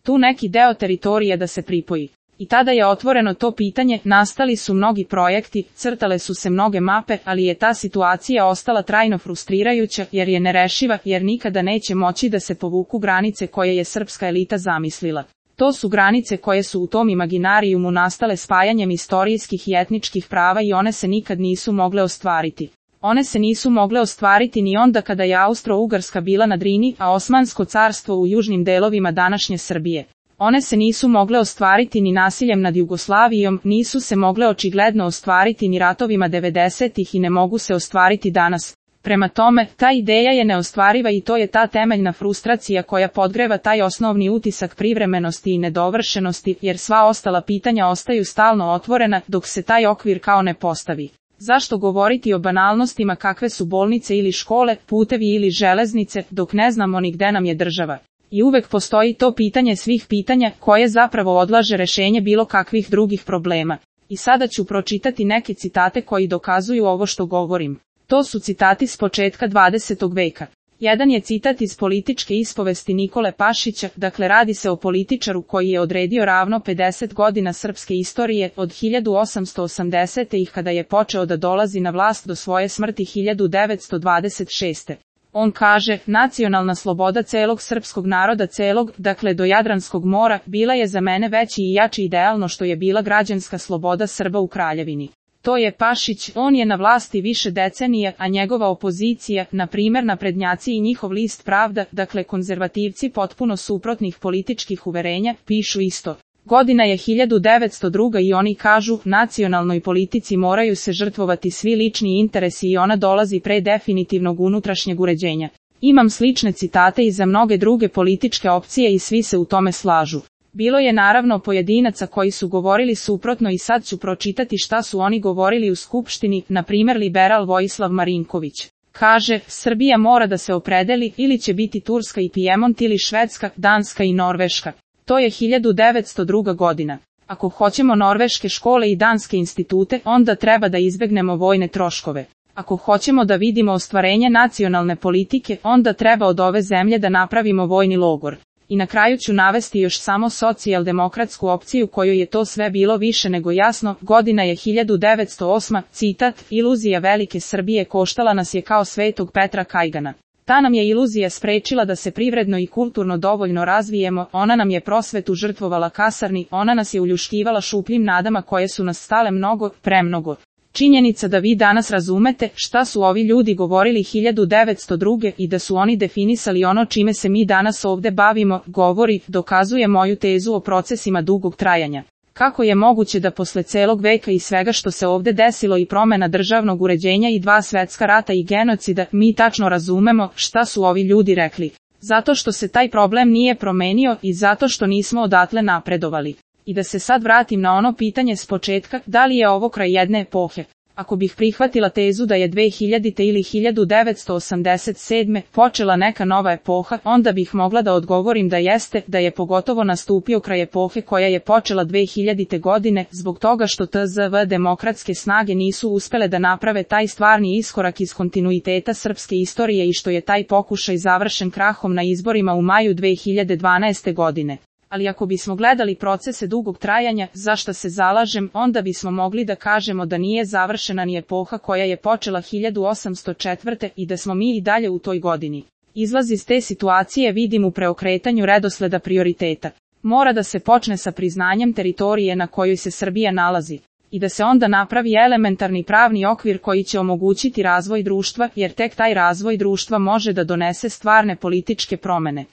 tu neki deo teritorije da se pripoji. I tada je otvoreno to pitanje, nastali su mnogi projekti, crtale su se mnoge mape, ali je ta situacija ostala trajno frustrirajuća jer je nerešiva, jer nikada neće moći da se povuku granice koje je srpska elita zamislila. To su granice koje su u tom imaginarijumu nastale spajanjem istorijskih i etničkih prava i one se nikad nisu mogle ostvariti. One se nisu mogle ostvariti ni onda kada je Austro-Ugarska bila na Drini, a Osmansko carstvo u južnim delovima današnje Srbije. One se nisu mogle ostvariti ni nasiljem nad Jugoslavijom, nisu se mogle očigledno ostvariti ni ratovima 90-ih i ne mogu se ostvariti danas. Prema tome, ta ideja je neostvariva i to je ta temeljna frustracija koja podgreva taj osnovni utisak privremenosti i nedovršenosti, jer sva ostala pitanja ostaju stalno otvorena dok se taj okvir kao ne postavi. Zašto govoriti o banalnostima kakve su bolnice ili škole, putevi ili železnice, dok ne znamo ni gde nam je država? I uvek postoji to pitanje svih pitanja, koje zapravo odlaže rešenje bilo kakvih drugih problema. I sada ću pročitati neke citate koji dokazuju ovo što govorim. To su citati s početka 20. veka. Jedan je citat iz političke ispovesti Nikole Pašića, dakle radi se o političaru koji je odredio ravno 50 godina srpske istorije, od 1880. kada je počeo da dolazi na vlast do svoje smrti 1926. On kaže, nacionalna sloboda celog srpskog naroda celog, dakle do Jadranskog mora, bila je za mene veći i jači idealno što je bila građanska sloboda Srba u Kraljevini. To je Pašić, on je na vlasti više decenija, a njegova opozicija, na primjer naprednjaci i njihov list Pravda, dakle konzervativci potpuno suprotnih političkih uverenja, pišu isto. Godina je 1902 i oni kažu, nacionalnoj politici moraju se žrtvovati svi lični interesi i ona dolazi pre definitivnog unutrašnjeg uređenja. Imam slične citate i za mnoge druge političke opcije i svi se u tome slažu. Bilo je naravno pojedinaca koji su govorili suprotno i sad ću pročitati šta su oni govorili u Skupštini, na primjer liberal Vojislav Marinković. Kaže, Srbija mora da se opredeli, ili će biti Turska i Pijemont ili Švedska, Danska i Norveška. To je 1902. godina. Ako hoćemo norveške škole i danske institute, onda treba da izbegnemo vojne troškove. Ako hoćemo da vidimo ostvarenje nacionalne politike, onda treba od ove zemlje da napravimo vojni logor. I na kraju ću navesti još samo socijaldemokratsku opciju kojoj je to sve bilo više nego jasno, godina je 1908, citat, iluzija velike Srbije koštala nas je kao Svetog Petra Kajgana. Ta nam je iluzija sprečila da se privredno i kulturno dovoljno razvijemo, ona nam je prosvetu žrtvovala kasarni, ona nas je uljuškivala šupljim nadama koje su nas stale mnogo, premnogo. Činjenica da vi danas razumete šta su ovi ljudi govorili 1902. i da su oni definisali ono čime se mi danas ovde bavimo, govori, dokazuje moju tezu o procesima dugog trajanja. Kako je moguće da posle celog veka i svega što se ovde desilo i promena državnog uređenja i 2 svetska rata i genocida, mi tačno razumemo šta su ovi ljudi rekli? Zato što se taj problem nije promenio i zato što nismo odatle napredovali. I da se sad vratim na ono pitanje s početka, da li je ovo kraj jedne epohe? Ako bih prihvatila tezu da je 2000. ili 1987. počela neka nova epoha, onda bih mogla da odgovorim da jeste, da je pogotovo nastupio kraj epohe koja je počela 2000. godine, zbog toga što tzv. Demokratske snage nisu uspele da naprave taj stvarni iskorak iz kontinuiteta srpske istorije i što je taj pokušaj završen krahom na izborima u maju 2012. godine. Ali ako bismo gledali procese dugog trajanja, za šta se zalažem, onda bismo mogli da kažemo da nije završena ni epoha koja je počela 1804. i da smo mi i dalje u toj godini. Izlaz iz te situacije vidim u preokretanju redosleda prioriteta. Mora da se počne sa priznanjem teritorije na kojoj se Srbija nalazi. I da se onda napravi elementarni pravni okvir koji će omogućiti razvoj društva, jer tek taj razvoj društva može da donese stvarne političke promene.